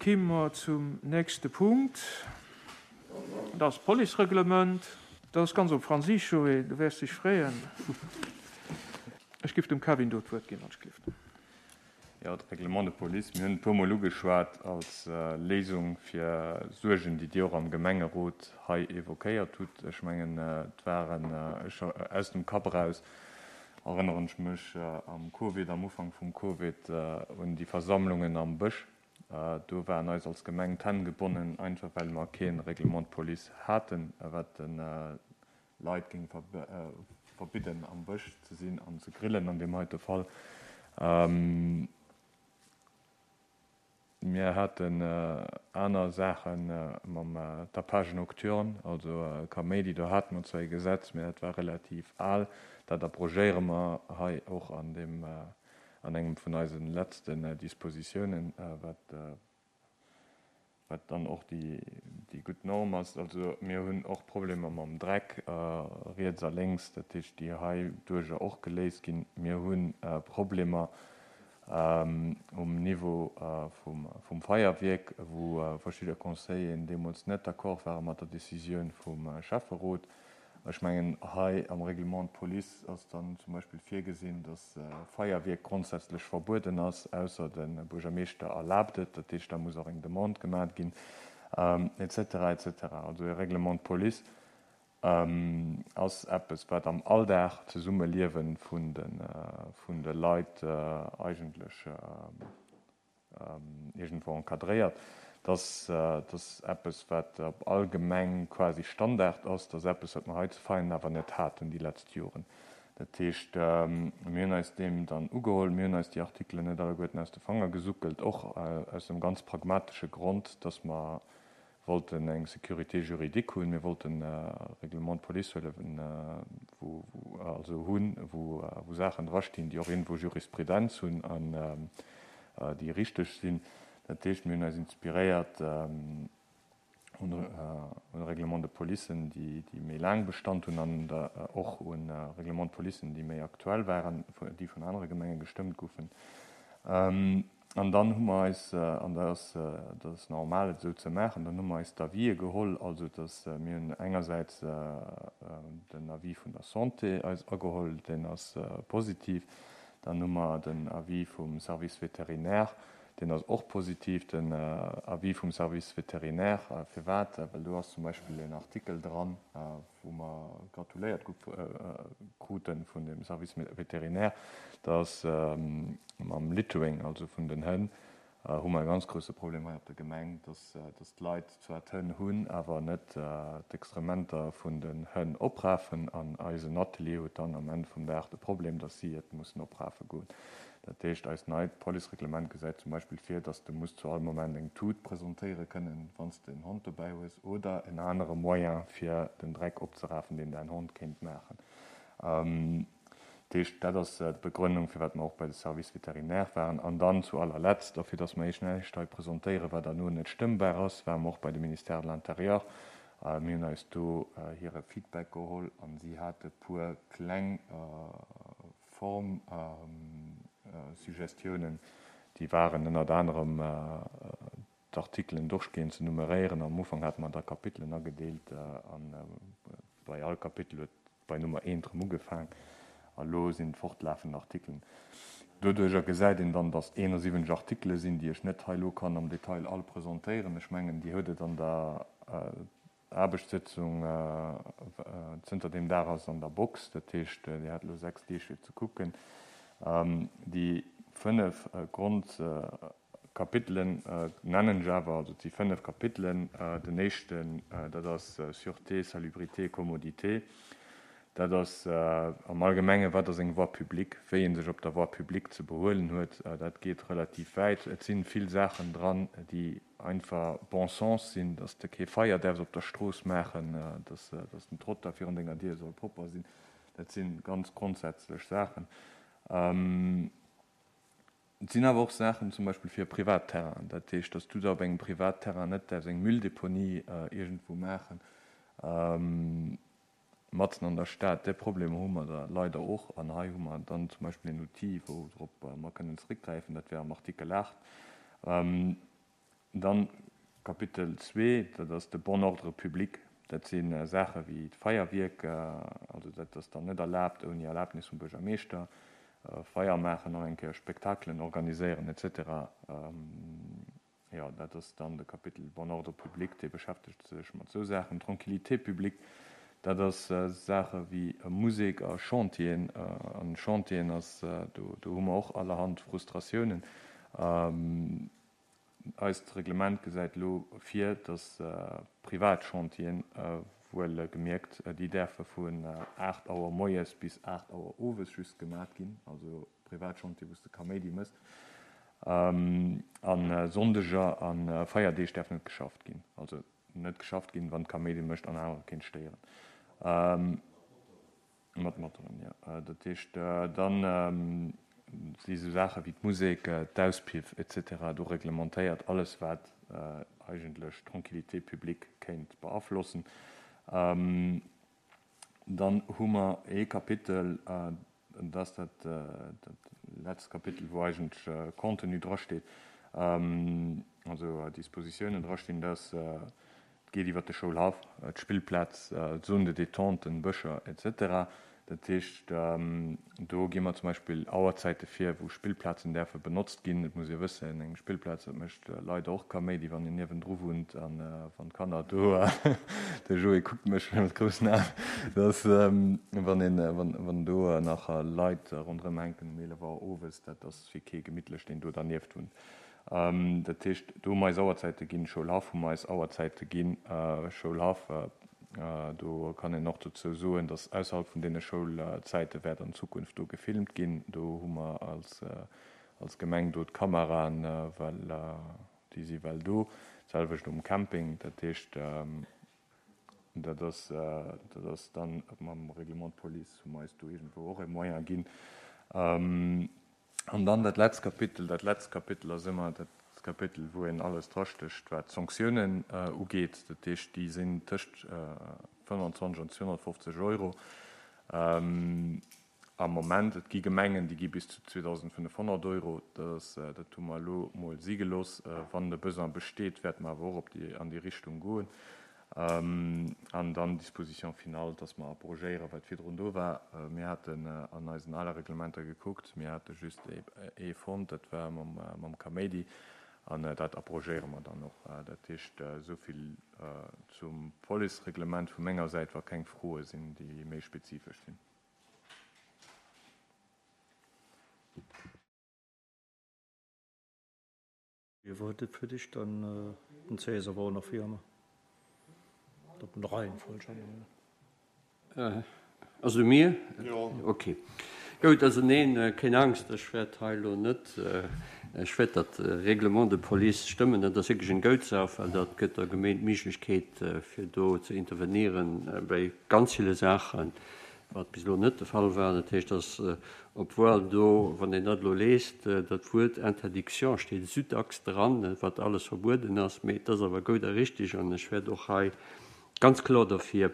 Kimme mer zum nächste Punkt. Dat ass d'Policereglement. Dat ass ganz op Franséisch, Joé, du wäers dech freeën. Ech giff dem Kevin do d'Wuert ginn, wann ech gelift. Jo, de Règlement de police, mir hunn e puermol ugeschwat als Léisung fir Suergen, déi Dir och am Gemengerot hei évoquéiert hutt. Ech mengen, et waren, ech, aus dem Kapp eraus erënneren ech mech am Covid, am Ufank vum Covid, un déi Versammlungen am Bësch. Do waren eis als Gemeng d'Hänn gebonnen, einfach well mer kee Règlement de police haten, wat de Leit géing verbidden am Bësch ze sinn an ze grillen an deem heite Fall. Mir haten aner Saache mam Tapage nocturne, also Kaméidi, do hate mer zwar ee Gesetz, mä dat war relativ al. Dat abrogéiere mer hei och an deem, an engem vun eise letzten Dispositiounen, wat Wat dann och déi gutt Norm ass. Also mir hunn och Problemer mam Dreck riets a lénks, dat heescht déi hei duercher och geléist ginn. Mir hu Problemer um Niveau vum Feierwierk, wou verschidde Conseilleren deemools net d'accord ware mat der Décisioun vum Schäfferot. Ech mengen, hei am Règlement de police ass dann zum Beispill virgesinn, dass Feierwierk grondsätzlech verbueden ass, ausser de Buergermeeschter erlaabt et. Dat heescht, da muss och eng Demande gemaat ginn, et cetera, et cetera. Also e Règlement de police ass eppes, wat am Alldag d'Zesummeliewe vun de Leit eigentlech iergendwou encadréiert, dass dass eppes, wat op all Gemeng quasi Standard ass, dass eppes, wat mer hei zu Veianen awer net haten déi letzt Joren. Dat heescht, mir hunn eis deem dann ugeholl, mir hunn eis déi Artikelen net alleguerten aus de Fanger gesuckelt, och aus dem ganz pragmatesche Grond, dass mer wollten eng Sécurité juridique hunn, mir wollten e Règlement de police huelen, wou, also hunn, wou, wou Saachen drastinn, déi och iergendwou Jurisprudenz hunn an déi richteg sinn. Dat heescht, mir hunn eis inspiréiert un Règlements de policen, déi, déi méi laang Bestand hunn an och un Règlements de policen, déi méi aktuell waren, déi vun anere Gemenge gestëmmt goufen. An dann hu mer eis, an dat ass, dat ass normal et esou ze maachen, dann hu mer eis d'Avisë geholl, also dass mir hunn engersäits den Avis vun der Santé eis ageholl, deen ass positiv. Dann hu mer den Avis vum Service vétérinaire, deen ass och positiv. Den Avis vum Service vétérinaire, firwat? Well do ass zum Beispill en Artikel dran, wou mer gratuléiert krute vun dem Service vétérinaire, dass mam Littering, also vun den Hënn, hu mer e ganz grousse Problem hei op der Gemeng, dass d'Leit zwar d'Hënn hunn, awer net d'Extrementer vun den Hënn oprafen. An eisen Atelier huet dann am Enn vum Dag de Problem, dass si et mussen oprafe goen. Dat heescht, eist neit Policereglement gesäit zum Beispill vir, dass de muss zu all Moment eng Tut presentéiere kënnen, wann s de en Hond dobäi hues, oder en anere Moyen, fir den Dreck opzerafen, deen däin Hond kéint maachen. Dat heescht, dat ass d'Begrënnung, firwat mer och bei de Service vétérinaire waren. An dann zu allerletzt, a fir dass mer Iech näischt hei presentéieren, wat herno net stëmmbar ass, ware mer och bei de Ministère de l'Intérieur. Mir hunn eis do hire Feedback geholl a si hate puer kleng Form Suggestiounen, déi waren ënnert anerem d'Artikelen durchgehend ze nummeréieren. Am Ufank hate mer da Kapitelen agedeelt a bei all Kapitel huet bei Nummer eent erëm ugefaang a lo sinn et fortlafend Artikelen. Doduercher gesäit een dann, datt 71 Artikele sinn, déi ech net hei elo kann am Detail all presentéieren. Ech mengen, Dir hutt et an der Aarbechtssëtzung zënter deem Dag ass an der Box, dat heescht, Dir hat elo 6 Deeg fir ze kucken. Déi 5 Grondkapitelen nennen ech awer, also et si 5 Kapitelen. Den éischten, dat ass Sûreté, salubrité, commodité. Dat ass am Allgemengen, wat ass eng Voie publique, wéi ee sech op der Voie publique ze behuelen huet. Dat geet relativ wäit. Et si vill Saachen dran, déi einfach bon sens sinn, dass de kee Feier däerfs op der Strooss maachen, dass dass den Trottoir virun denger Dier soll propper sinn. Dat si ganz grondsätzlech Saachen. Et sinn awer och Saachen zum Beispill fir e Privatterrain, dat heescht, dass du da op engem Privatterrain net däerfs eng Mülldeponie iergendwou maachen, matzen an der Stad. Dee Problem hu mer da leider och. An hei hu mer dann zum Beispill en Outil, wourop mer kënnen zeréckgräifen, dat wär am Artikel 8. Dann Kapitel zwee, dat ass de bon ordre public. Dat si Saache wéi d'Feierwierk, also dat ass dann net erlaabt ouni Erlaabnis vum Buergermeeschter, Feier maachen, och eng Kéier Spektakelen organiséieren et cetera. Jo, dat ass dann de Kapitel bon ordre public, dee beschäftegt sech mat esou Saachen. Tranquillité publique, dat ass Saache wéi Musek a Chantieren. An Chantieren ass, do hu mer och allerhand Frustratiounen. Eist Reglement gesäit elo vir, dass privat Chantieren, wuel gemierkt, déi däerfe vun 8 Auer moies bis 8 Auer owes just gemat ginn, also privat Chantier wou s de Kaméidi mëss, a Sonndeger a Feierdeeg däerf net geschafft ginn, also net geschafft ginn, wann Kaméidi mécht an anerer kéint stéieren. Mat Motoren, jo. Dat heescht, dann si sou Saache wéi d'Musek, d'Auspiff et cetera do reglementéiert, alles wat eigentlech d'Tranquillité publique kéint beaflossen. Dann hu mer ee Kapitel, dat ass dat letzt Kapitel, wou eigentlech Contenu drasteet, also Dispositiounen drastinn, dass Et geet iwwer de Schoulhaff, d'Spillplaz, d'Zone de détente, Bëscher, etc. Dat heescht, do gi mer zum Beispill Auerzäite vir, wou Spillplazen däerfe benotzt ginn. Et muss ee wëssen, eng Spillplaz, dat mécht leider och Kaméidi, wann een niewendru wunnt a wann d'Kanner do, de Joé kuckt mech mat groussen Aen, dass wann een, wann do nach Leit ronderëm hänken um 11 Auer owes, dat ass fir kee gemittlech, deen do dernieft wunnt. Dat heescht, do hu mer eis Auerzäite ginn, Schoulhaff hu mer eis Auerzäite ginn. Schoulhaff, do kann een och dozou soen, datt ausserhalb vun deene Schoulzäite wäert an Zukunft do gefilmt ginn. Do hu mer als Gemeng do d'Kameraen, well déi si well do. D'selwecht um Camping. Dat heescht, dat ass, dat ass dann mam Règlement de police hu mer eis do iergendwou och e Moyen ginn. An dann dat letzt Kapitel, dat letzt Kapitel ass ëmmer dat Kapitel, wou een alles drastécht, wat d'Sanktiounen ugeet. Dat heescht, déi sinn tëscht 25 an 250 Euro am Moment. Et gi Gemengen, déi gi bis zu 2.500 Euro. Dat ass, dat hu mer elo mol si gelooss. Wann de Besoin besteet, wäerte mer awer och op déi, an déi Richtung goen. An dann d'Disposition finale, dass mer abrogéieren, wat virdrun do war. Mir haten an eisen ale Reglementer gekuckt, mir hate just ee fonnt, dat war mam Kaméidi, an dat abrogéiere mer dann och. Dat heescht, esou vill zum Policereglement vu menger Säit, wa keng Froe sinn, déi méi spezifesch sinn. Wie war dat fir dich dann den Cäsar war nach wéi ëmmer op den Reihenfolg änneren. Also mir? Jo. Ok. Goud, also neen, keen Angst, ech wäert hei elo net, ech wäert dat Règlement de police stëmmen. Dat ass wierklech eng goud Saach, well dat gëtt der Gemeent d'Méiglechkeet, fir do ze intervenieren bei ganz ville Saachen, wat bis elo net de Fall war. Dat heescht, dass, obwuel do, wann een dat elo liest, dat Wuert Interdiction steet esou dacks dran, wat alles verbueden ass, mee et ass awer goud a richtig an ech wäert och hei ganz kloer derfir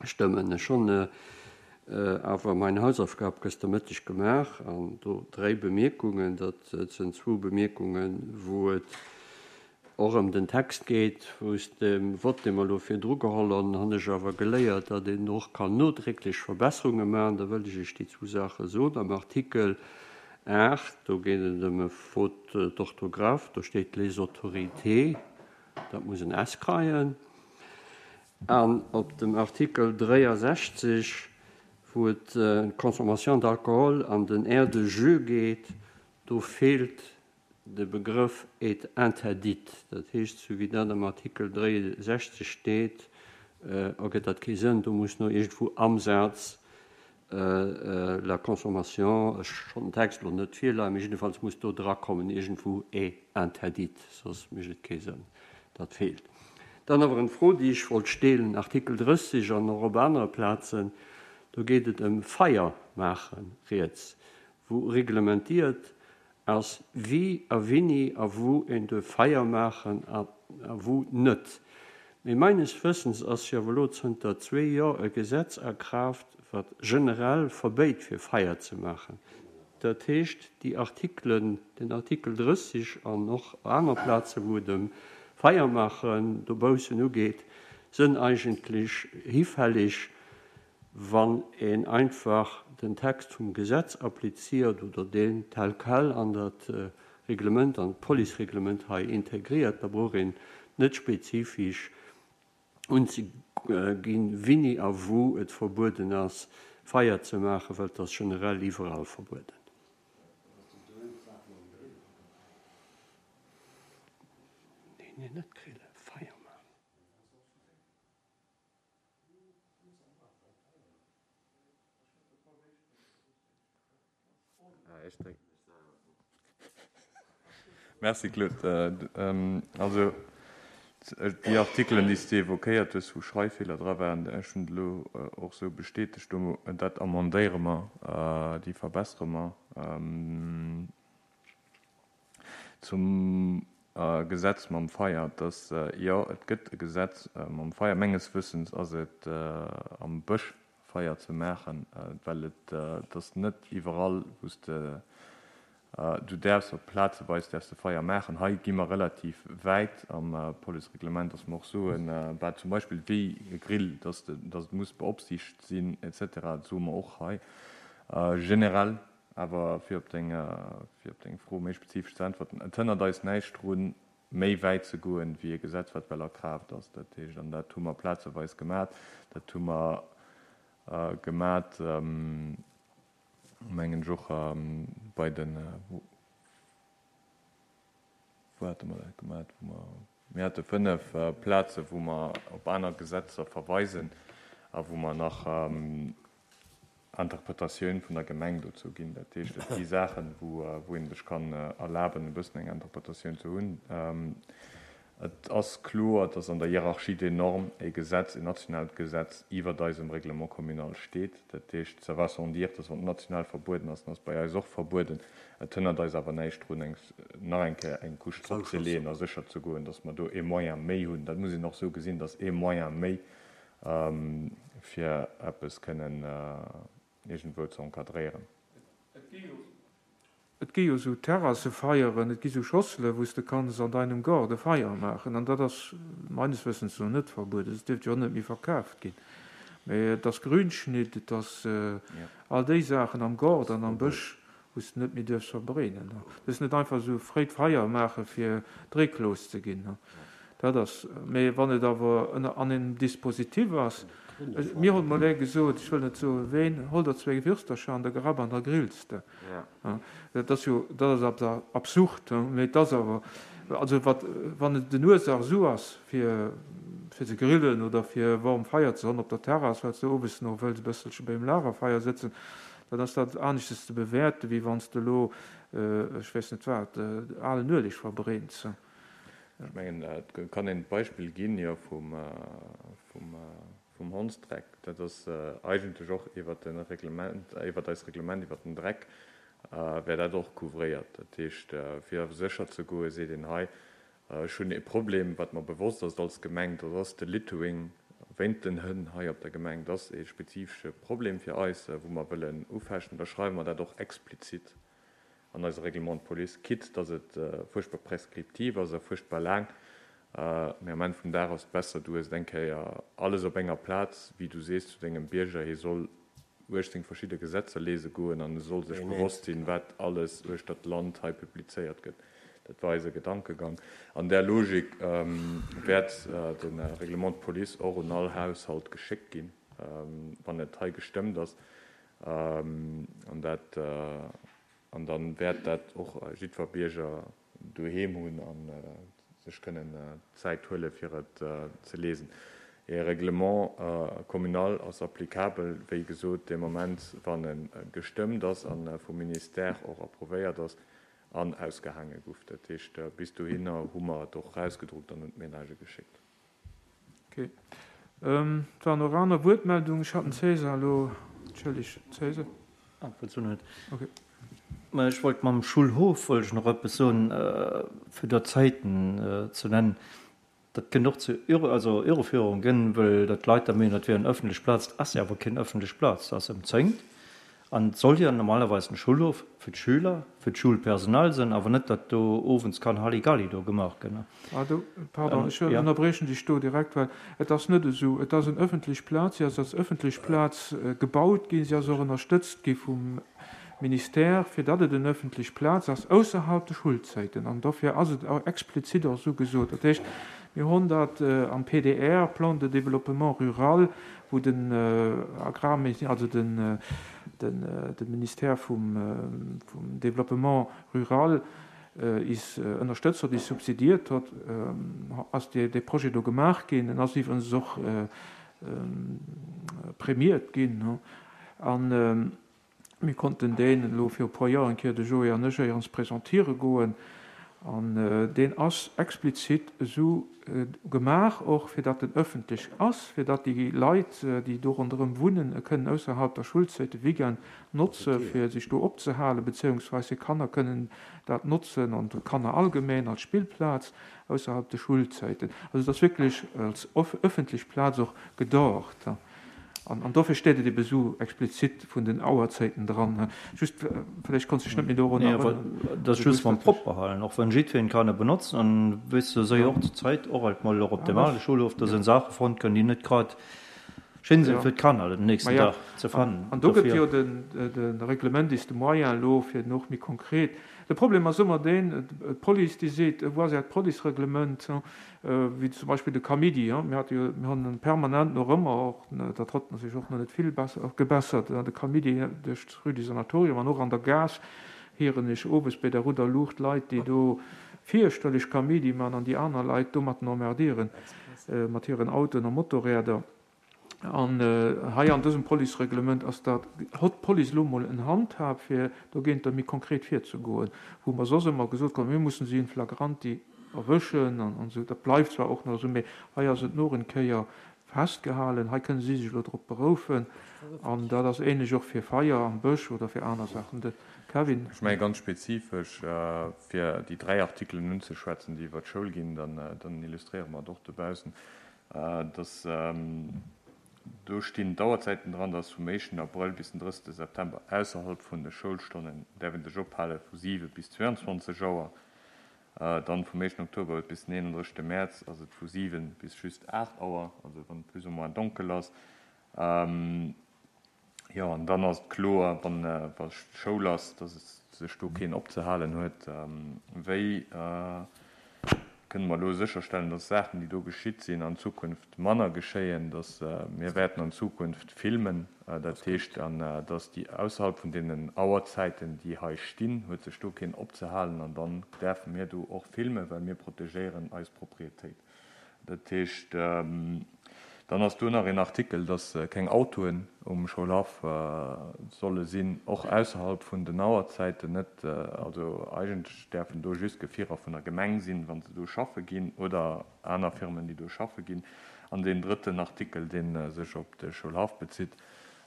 stëmmen. Ech hunn awer mein Hausaufgab gëster Mëtteg gemaach an do dréi Bemierkungen. Dat sinn zwou Bemierkungen, wou et och ëm den Text geet. Aus dem Vott, dee mer elo virdru geholl hunn, hunn ech awer geléiert, datt een och kann nodrécklech Verbesserunge maachen. Da wëll ech Iech déi zwou Saache soen. Am Artikel 8, do geet et ëm e Faute d'orthographe, do steet les autorités, dat muss en s kreien. An op dem Artikel 63, wou et ëm d'Consommation d'alcool an den Aires de jeu geet, do feelt De Begrëff est interdite, dat heescht, sou wéi dat am Artikel 63 steet, ergëtt dat kee Sënn. Do muss no iergendwou am Saz la consommation, ech hunn den Text elo net virleien, mee jiddefalls muss do drakommen iergendwou est interdite, soss mécht et kee Sënn. Dat feelt. Dann awer eng Fro, déi ech wollt steelen, Artikel 30 an och op anere Plazen, do geet et ëm Feier maachen, riets, wou reglementiert Ass wie a wini a wou een duerf Feier maachen a wou net. Mee meines Wëssens ass jo awer elo zënter zwee Jor e Gesetz a Kraaft, wat generell verbéit fir Feier ze maachen. Dat heescht, déi Artikelen, den Artikel 30 an och aner Plaze wou et ëm. Feiermaachen dobaussen ugeet, sënn eigentlech hifällig, wann een einfach den Text vum Gesetz appliziert oder deen tel quel an dat Reglement, an d'Policereglement hei integriert. Da brauch een net spezifisch unzeginn, wini a wou et verbueden ass, Feier ze maachen, well et ass generell iwwerall verbueden. Nee, net grillen, Feier maachen. Merci Claude. Also déi Artikelen, déi s de évoquéiert hues, wou Schreiffeeler dra waren, ech hunn et elo och esou bestätegt, do dat amendéiere mer, déi verbessere mer. Zum Gesetz mam Feier, dass, jo, et gëtt e Gesetz mam Feier. Menges Wëssens ass et am Bësch Feier ze maachen, well et ass net iwwerall, wou s de, du däerfs op plazeweis däerfs de Feier maachen. Hei gi mer relativ wäit am Policereglement, dass mer och soen, wat zum Beispill wéi e Grill, dass de, dass et muss beopsiicht sinn et cetera. Dat soe mer och hei generell. Awer fir op deng, fir op deng Fro méi spezifesch ze äntwerten, Et hënnert eis näischt drun, méi wäit ze goen, wéi e Gesetz, wat well a Kraaft ass. Dat heescht, an dat hu mer plazeweis gemat, dat hu mer gemat, mengen ech, och bei den, wou hate mer dat gemat, wou mer, mir hate 5 Plaze wou mer op aner Gesetzer verweisen a wou mer nach Interpretatioun vun der Gemeng dozou ginn. Dat heescht, et gi Saachen, wou ee sech kann erlaben, e bëssen eng Interpretatioun ze hunn. Et ass kloer, dass an der Hiérarchie des normes e Gesetz, en nationaalt Gesetz iwwert eisem Règlement communal steet. Dat heescht, ça va sans dire, dass wann et national verbueden ass, dann ass et bei eis och verbueden. Et hënnert eis awer näischt drun, eng, nach eng Kéier eng Couche drop ze leeën a sécher ze goen, dass mer do e Moyen méi hunn. Dat muss een och esou gesinn, dass e Moyen méi fir eppes kënnen iergendwou ze encadréieren. Et gi jo sou Terrassefeieren, et gi sou Schossele wou s de kanns an deinem Gaart e Feier maachen an dat ass meines Wëssens no net verbueden. Et dierft jo och net méi verkaaft ginn, mee et ass Grünschnitt, et ass all déi Saachen am Gaart an am Bësch wou s de net méi duerfs verbrennen. Du duerfs net einfach esou fréi d'Feier maache fir Dréck los ze ginn. Dat ass, mee wann et awer ënner an engem Dispositif ass, mir hunn mol ee gesot, ech wëll net soe ween, hol der zwéi Würstercher an der Gerapp an da grills de. Dat ass jo, dat ass absurd, mee et ass awer, also wat, wann et den Ursach esou ass fir fir ze grillen oder fir e warm Feier ze hunn op der Terrass, well s de owes nach wëlls e bësselche beim Lagerfeier sëtzen, Dann ass dat aneschtes ze bewäerten, wéi wann s de elo, ech weess net wat, alen Ueleg verbrenns. Ech mengen, et kann een d'Beispill ginn, jo, vum Hondsdreck. Dat ass eigentlech och iwwert de Reglement, iwwert eist Reglement iwwert den Dreck wär dat och couvréiert. Dat heescht, fir sécher ze goen, seet een hei, Ech hunn e Problem, wat mer bewosst ass als Gemeng, dat ass de Littering wéint den Hënn hei op der Gemeng. Dat ass e spezifesche Problem fir eis, wou mer wëllen ufechten. Da schreiwe mer dat och explizit an eise Règlement de police, quitte dass et fuerchtbar prescriptiv ass a fuerchtbar laang. Mee am Enn vum Dag ass et besser, du hues et eng Kéier alles op enger Plaz, wéi du sees zu dengem Bierger, hie soll 18 verschidde Gesetzer lese goen an e soll sech bewosst sinn, wat alles uechter d'Land hei publizéiert gëtt. Dat war eise Gedankegang. An där Logik wäert de Règlement de police och un all Haushalt geschéckt ginn, wann et hei gestëmmt ass. An dat, an da wäert dat och jiddwer Bierger doheem hunn a sech kënnen d'Zäit huele fir et ze lesen. E Règlement communal ass applicabel, wéi gesot, dee Moment wann e gestëmmt ass a vum Ministère och approuvéiert ass an ausgehaange guff. Dat heescht, bis dohinner hu mer et och erausgedruckt an un d'Ménagë geschéckt. Ok. Et waren och aner Wuertmeldungen. Ech hat den César elo. Entschëlleg, César. Ah, falls du net. Ok. Mä ech wollt mam Schulhof wollt ech nach eppes soen, fir do Zäiten ze nennen. Dat kënnt och zu Irre, also Irreführung ginn, well dat d'Leit da mengen, dat wier eng öffentlech Plaz. Dat ass jo awer keng öffentlech Plaz. Dat ass ëmzéngt. An et soll jo normalerweis en Schulhof fir d'Schüler, fir d'Schulpersonal sinn, awer net, datt do owends kann Halligalli do gemaach gëtt. Ah, do, pardon, ech ënnerbriechen dech do direkt, well et ass net esou. Et ass en öffentlech Plaz, si ass als öffentlech Plaz gebaut ginn, si ass och ënnerstëtzt gi vum Ministère, fir datt et en öffentlech Plaz ass ausserhalb de Schulzäiten. An dofir ass et explizit och esou gesot. Dat heescht, mir hunn dat am PDR, Plan de développement rural, wou den Agrarministère, also den Ministère vum Développement rural is ënnerstëtzt huet, is subsidiert huet, ass dee Projet do gemaach ginn. En ass iwwregens och prämiert ginn. An Mir konnten deen elo viru puer Joer eng Kéier, de Joé an ech, éierens presentiere goen. An deen ass explizit esou gemaach och, fir datt en ëffentlech ass, fir datt déi Leit, déi do ronderëm wunnen, e kënnen ausserhalb der Schulzäit, de Weekend notze fir sech do opzehalen, beziehungsweis hir Kanner kënnen dat notzen an d'Kanner allgemeng als Spillplaz ausserhalb de Schulzäiten. Also et ass wierklech als ëffentlech Plaz och gedacht. An dofir steet et ebe sou explizit vun den Auerzäiten dran. Just, vläicht konns dech net méi dorun erënneren. Dat ass just mam propper halen, och wann jiddwereen kann e benotzen. An weess de, sou och zur Zäit och alt mol och op dem ale Schulhof, do sinn Saache fonnt ginn, déi net grad schéin sinn fir d'Kanner den nächsten Dag ze fannen. An do gëtt jo de Reglement is de moyen elo fir en och méi konkret. De Problem ass ëmmer deen, d'Police déi seet, voici d'Policereglement, wéi zum Beispill de Kamidi, mir hate jo, mir hunn permanent nach ëmmer och, dat hott sech och nach net vill besser, gebessert, de Kamidi duerch d'Rue du Sanatorium an och an der Gaass hieren ech owes bei der rouder Luucht Leit, déi do fierchterlech Kamidi man an déi aner Leit domatten emmerdieren mat hiren Autoen a Motorräder. An hei an dësem Policereglement ass dat, hott d'Police elo emol en Handhab, fir dogéinter méi konkret virzegoen, wou mer soss ëmmer gesot kruten, mir mussen si in flagranti erwëschen an esou. Dat bleift zwar och nach esou, mee hei ass et noch en Kéier festgehalen, hei kënne si sech elo drop beroufen. An dat ass ähnlech och fir Feier am Bësch oder fir aner Saachen. De Kevin. Ech menge ganz spezifesch, fir déi 3 Artikelen unzeschwätzen, déi iwwert d'Schoul ginn, dann illustréiere mer et och dobaussen. Dass do stinn d'Auerzäiten dran, dass vum éischten Abrëll bis den 30 September ausserhalb vun de Schoulstonnen däerf een sech ophale vu 7 bis 22 Auer. Dann vum éischten Oktober bis den 31 Mäerz ass et vu 7 bis just 8 Auer, also wann et plus ou moins donkel ass. Jo, an dann ass et kloer, wann wa Schoul ass, dass et sech do keen opzehalen huet. Wéi kënne mer elo sécherstellen, dass Saachen, déi do geschitt sinn, an Zukunft manner geschéien, dass mir wäerten an Zukunft filmen, dat heescht, an dass déi ausserhalb vun deenen Auerzäiten, déi hei stinn, huet sech do keen opzehalen an dann däerfe mir do och filmen, well mir protegéieren eis Propriétéit. Dat heescht, dann ass do nach een Artikel, dass keng Autoen um Schoulhaff solle sinn, och ausserhalb vun den Auerzäiten net. Also eigentlech däerfen do just Gefierer vun der Gemeng sinn, wa se do schaffe ginn, oder aner Firmen, déi do schaffe ginn. An deen drëtten Artikel, dee sech op de Schoulhaff bezitt,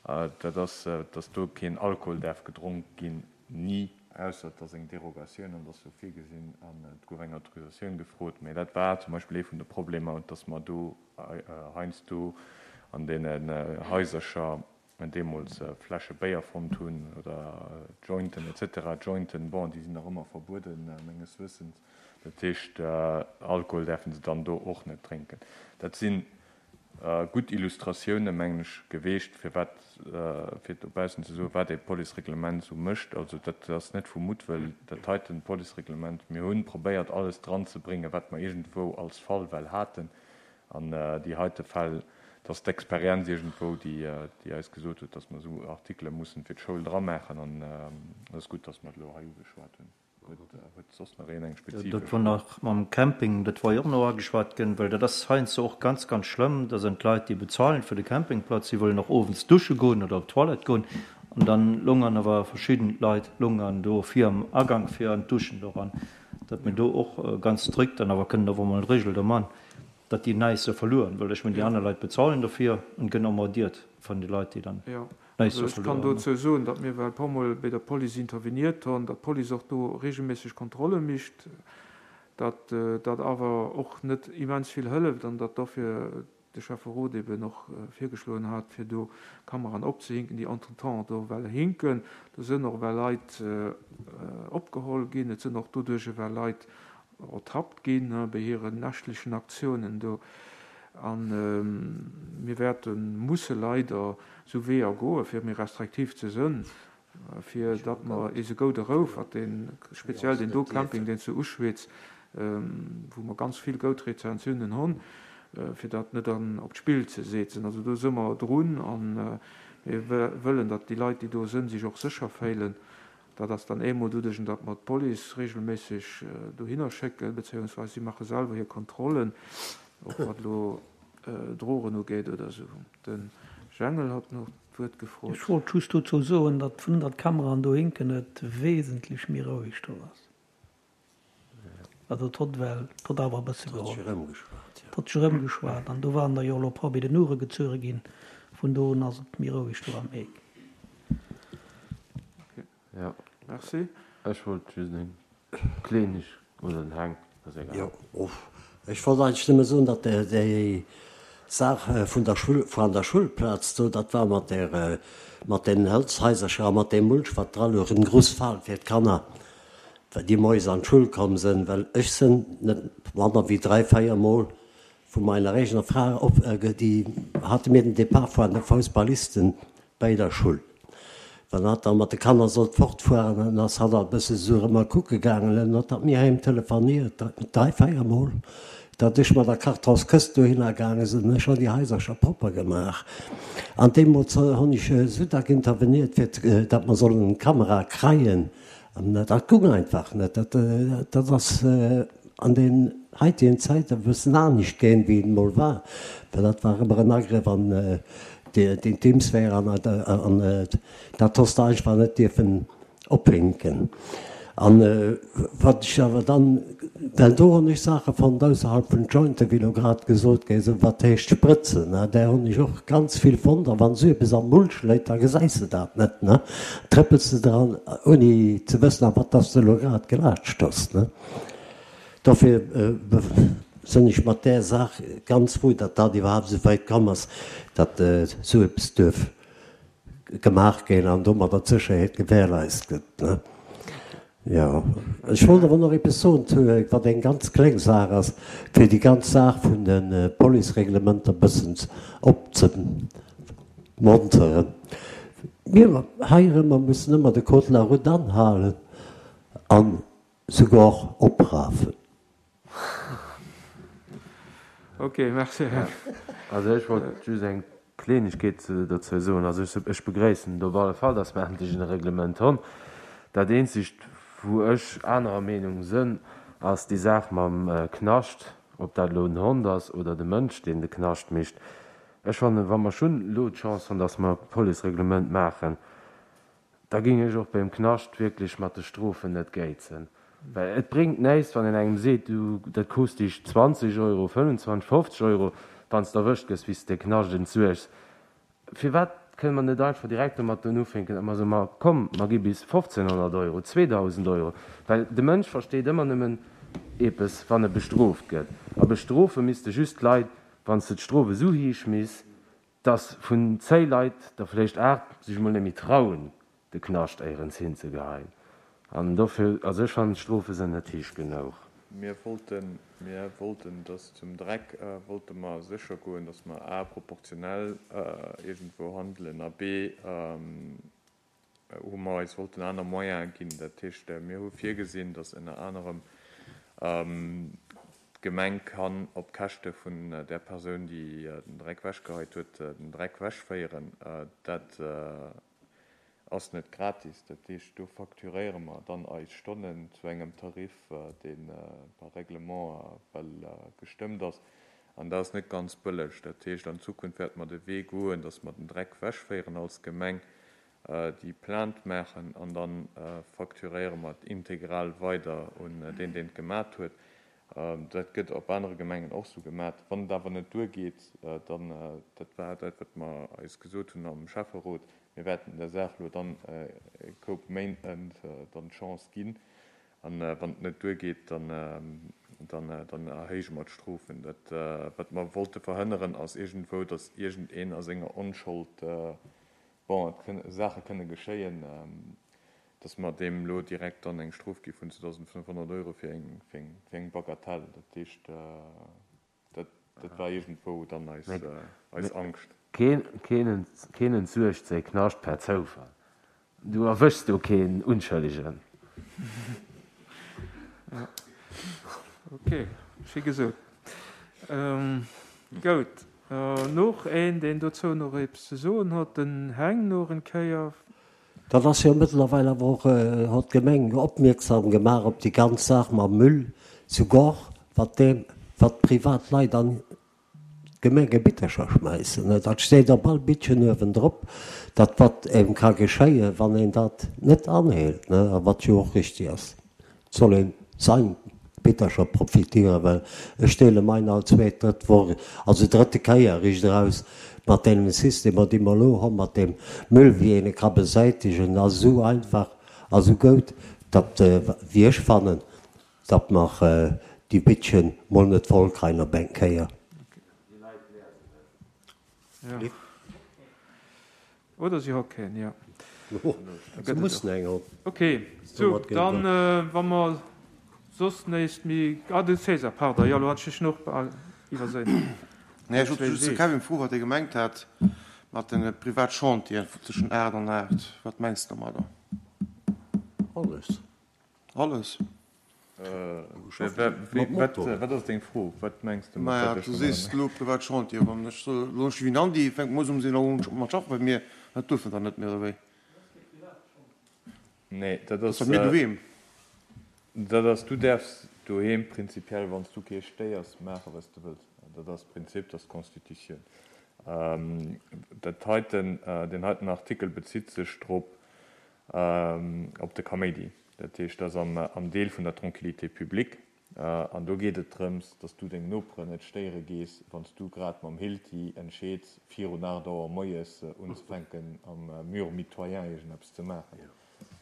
dat ass, dass do keen Alkohol däerf gedronk ginn, ni. Ausser et ass eng Derogatioun an et ass sou virgesinn an et gouf eng Autorisatioun gefrot. Mä dat war zum Beispill ee vun de Problemer, dass mer do heiansdo an deenen Haisercher deemools Fläsche Béier fonnt hunn oder Jointen et cetera. Jointen, bon, déi sinn nach ëmmer verbueden, menges Wëssens. Dat heescht, Alkohol däerfe se dann do och net drénken. Dat sinn Gutt Illustratioune mengen ech geweecht, firwat, fir dobaussen ze soen, wat ee Policereglement esou mécht. Also dat ass net vu Muttwëll, dat heiten Policereglement. Mir hu probéiert alles dran ze bréngen, wat mer iergendwou als Fall well haten. An déi heite Fäll, dat ass d'Experienz iergendwou, déi eis gesot huet, datt mer esou Artikele mussen fir d'Schoul dramaachen. An et ass gutt, datt mer et elo hei ugeschwat hunn. Huet soss nach een eng spezifesch Dat wor nach mam Camping, dat wor jo och nach ageschwat ginn, well dat ass heiansdo och ganz, ganz schlëmm. Da sinn d'Leit, déi bezahlen fir de Campingplatz, déi wëllen och owends dusche goen oder op d'Toilette goen an dann lungern awer verschidden Leit lungern do vir am Agank fir an d'Duschen do eran. Datt mir do och ganz strikt dann awer kënnen och emol eng Regel do man, datt déi näischt sou verlueren, well ech mengen déi aner Leit bezahlen dofir an gënn emmerdiert vun de Leit, déi dann. Also ech kann dozou soen, datt mir well e puer Mol bei der Police interveniert hunn, datt d'Police och do regelméisseg Kontrolle micht, datt dat awer och net immens vill hëlleft an datt dofir. de Schäfferot eben och virgeschloen hat, fir do Kameraen opzehinken, déi entretemps do ewell hinken. Do sënn och ewell Leit opgeholl ginn. Et sënn och doduerch ewell Leit ertappt ginn bei hiren nächtlechen Aktiounen do. A mir wäerte musse leider esou Weeër goen, fir méi restriktiv ze sënn, fir datt mer eise goude Rouf, wat dee speziell deen do Camping, deen zu Uschwitz, wou mer ganz vill goud Rezensiounen hunn, fir dat net an op d'Spill ze seetzen. Also do si mer drun a mir wëllen, datt déi Leit, déi do sënn, sech och sécher féilen. Dat ass dann eemol doduerch, datt mer d'Police regelméisseg dohinner schécken, beziéungsweis si maache selwer hir Kontrollen, och wat elo Drogen ugeet oder esou. De Jengel hat nach d'Wuert gefrot. Ech wollt just dozou soen, datt vun datt d'Kameraen do hinken, et wesentlech méi roueg do ass. Also et hott well, et hott awer e bësse geholl. Et hott sech erëmgeschwat an do waren der jo elo e puer bei den Ouere gezuere ginn. Vun do un ass et méi roueg do am Eck. Jo, merci. Ech wollt just eng kleneg, oder den Heng, ass egal. Jo, ech wollt eigentlech nëmme soen, datt déi Saach vun der Schull, vu an der Schullplaz do, dat war mat där, mat deenen Hëlzhaisercher a mat deem Mulch, wat dra louch, en grouss Fal fir d'Kanner, déi moies an d'Schull komm sënn, well ech sënn net manner wéi 3, 4 Mol vu meiner eegener Fra op, déi hate mir den Depart vun de Foussballisten bäi der Schull. Wann hatt da mat de Kanner sollt fortfueren, dann ass hatt alt bësse sou erëm mol kucke gaangen. Dann huet hatt mir heem telefoniert, 3, 4 mol, datt ech mat der Kartonskëscht dohinner gaange sinn. Ech hunn déi Haisercher propper gemaach. An deemools hunn ech esou dack interveniert, fir datt mer sollen Kamera kreien. An dat gung einfach net. Dat ass an den heitegen Zäiten e bëssen anescht gaang, wéi et emol war, well dat war ëmmer en Agrëff an d'Intimsphäre an dat hues de einfach net dierfen ophinken. An wat ech awer dann, well do hunn ech Saache fonnt ausserhalb vun Jointen, wéi elo grad gesot gi sinn, wat heescht Sprëtzen, där hunn ech och ganz vill fonnt. A wann esou eppes am Mulch léit, da gesäis de dat net, ne? Trëppels de dran, ouni ze wëssen, a wat dass de elo grad gelaatscht hues, ne? Dofir sinn ech mat där Saach ganz frou, datt dat iwwerhaapt esou wäit komm ass, datt esou eppes duerf gemaach ginn an domadder d'Sécherheet gewährleist gëtt. Jo, ech wollt awer nach eppes soen zu, wat eng ganz kleng Saach ass, fir déi ganz Saach vun de Policereglementer e bëssen opzemonteren. Mir heirëmmer mussen ëmmer de Code de la route anhalen an souguer och oprafen. Ok, merci. Also ech wollt just eng Kleenegkeet dozou soen. Also ech begréissen et op alle Fall, dass mer endlech en Reglement honn. Dat eenzegt, wou ech anerer Meenung sënn, ass déi Saach mam Knascht, ob dat elo den Hond ass oder de Mënsch, deen de Knascht mécht. Ech fannen, wa mer schonn elo d'Chance honn, dass mer e Policereglement maachen, Da géing ech och beim Knascht wierklech mat de Strofen net géizen. Well et bréngt näischt, wann een engem seet, du, dat kost dech 20 Euro, 25, 50 Euro, wann s de erwëscht gëss, wéi s de de Knascht entsuergs. Firwat kënne mer net einfach direkt domat ufänken, datt mer soen, ma komm, mer gi bis 1.500 Euro, 2.000 Euro? Well de Mënsch versteet ëmmer nëmmen eepes, wann e bestrooft gëtt. A bestrofe misste just d'Leit, wann s de d'Strof esou héich misst, Dass vun zéi Leit der vléicht 8 sech mol nemmi trauen de Knascht éierens hinzegeheien. An dofir, also ech fannen d'Strofe sen net heesch genouch. Mir wollten, mir wollten, dass zum Dreck wollte mer sécher goen, dass mer a proportionell iergendwou handelen a b hu mer eis wollten aner Moyene ginn. Dat heescht, mir hu virgesinn, datt ënner anerem d'Gemeng kann op Käschte vun där Persoun, déi den Dreck wechgeheit huet, den Dreck wechféieren. Dat ass net gratis. Dat heescht, do facturéiere mer dann eis Stonnen zu engem Tarif, dee par Règlement well gestëmmt ass. An dat ass net ganz bëlleg. Dat heescht, an Zukunft wäerte mer de Wee goen, datt mer den Dreck wechféieren als Gemeng, déi Plainte maachen an da facturéiere mer et integral weider un deen, deen et gemat huet. Dat gëtt op anere Gemengen och esou gemat. Wann et awer net duergeet, dann, dat war dat, wat mer eis gesot hunn am Schäfferot, mir wäerten der Saach elo dann e Koup Méint dann d'Chance ginn, A wann et net duergeet, da. Dann, dann erhéije mer d'Strofen. Dat, wat mer wollte verhënneren, ass iergendwou, datt iergendeen a senger Onschold, bon, et kënne Saache kënne geschéien, datt mer deem elo direkt dann eng Strof gi vun 2.500 Euro fir eng, fir eng, fir eng Bagatelle. Dat heescht, dat, dat war iergendwou dann eis, eis Angscht. Keen, keen, keen entsuergt säi Knascht per Zoufall. Du erwëschs do keen Unschëllegen. Ok, schéi gesot. Goud. Noch een, deen dozou nach eppes ze soen hott? Den Heng noch en Kéier. Dat ass jo mëttlerweil awer och, hott d'Gemeng opmierksam gemaach op déi ganz Saach mam Müll zu Goch, wat deem, wat privat Leit an D'Gemengebittercher schmäissen, dat steet op all Bittchen uewendrop, dat wat engem ka geschéien, wann een dat net anhält, a wat jo och richtig ass. Et soll een sein Bittercher profitieren, well ech deele mein all zweet, drëtt Woch, also drëtte Kéier riicht eraus, mat deemem Systemer, déi mer elo hu mat deem Müll, wéi een e ka besäitegen, ass esou einfach a esou goud, datt, wéi ech fannen, Datt mer déi Bittchen mol net voll kreien op eng Kéier. Oder si hott keen, jo. Se mussen eng hon. Ok, sou, dann, wa mer soss néist méi. Ah, de César, pardon, jo, elo hat ech dech nach iwwerséin. Nee, ech wollt just de Kevin froen, wat hie gemengt hat mat de Privatchantieren tëschent 8 an 8. Wat mengs de domadder? Alles. Alles. Wat ass deng Fro? Wat mengs de mat Maja, du sees elo privat Chantier. Wann ech soe lo ech wéi Andi fänkt mues um sinn un mat schaffen bei mir, dat duerf en dann net méi oder wéi? Nee, dat ass. Bei mir doheem. Dat ass, du däerfs doheem prinzipiell, wann s du kee stéiers, maache wat s de wëlls. Dat ass d'Prinzip, dat ass d'Constitutioun. Dat heiten, deen heiten Artikel bezitt sech drop, op de Kaméidi. Dat heescht, dat ass am Deel vun der Tranquillité publique. An do geet et drëms, dass du deng Noperen net stéiere gees, wann s du grad mam Hilti entscheeds, virun 8 Auer moies unzefänken, am Mur mitoyen iergendeppes ze maachen.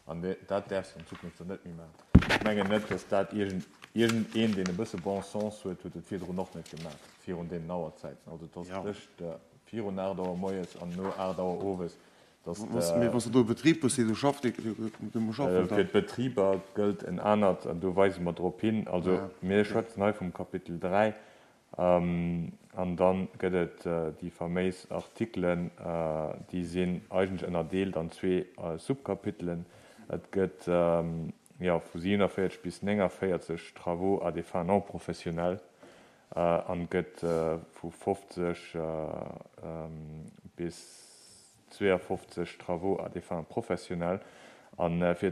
An dat däerfs de an Zukunft dann net méi maachen. Ech mengen net, dass dat iergend een, deen e bësse Bon sens huet, huet et virdrun och net gemaach, virun deenen Auerzäiten. Also et ass tëscht virun 8 Auer moies an no 8 Auer owes, Mee wann s de do e Betrib hues, dee do schafft, dee muss schaffen dann. Fir d'Betriber gëllt en anert, an do weise mer drop hin. Also mir schwätzen hei vum Kapitel 3, an da gëtt et déi faméis Artikelen, déi sinn eigentlech ënnerdeelt an zwee Subkapitelen. Et gëtt, jo, vu 47 bis 49 Travaux à des fins non professionnelles an et gëtt vu 50 bis 52 Travaux à des fins professionnelles. A fir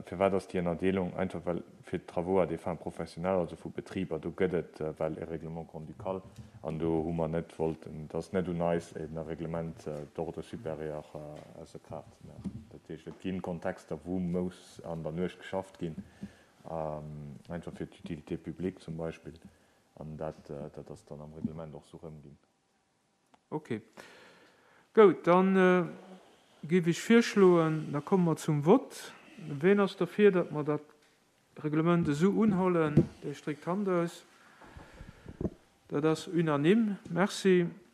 firwat ass déi Ënnerdeelung? Einfach well fir d'Travaux à des fins professionnelles, also vu Betriber, do gëtt et well e Règlement grand-ducal an do hu mer net wollten, et ass net un eis e Règlement d'ordre supérieur ausser Kraaft ze maachen. Dat heescht, et gi Kontexter, wou muss an der Nuecht geschafft ginn, einfach fir d'Utilité publique zum Beispill, an dat ass dann am Reglement och esou erëmginn. Ok. Goud, da géif ech virschloen, da komme mer zum Vott. Ween ass derfir, datt mer dat Reglement esou unhollen? Dee stréckt d'Hand aus. Dat ass unanime. Merci.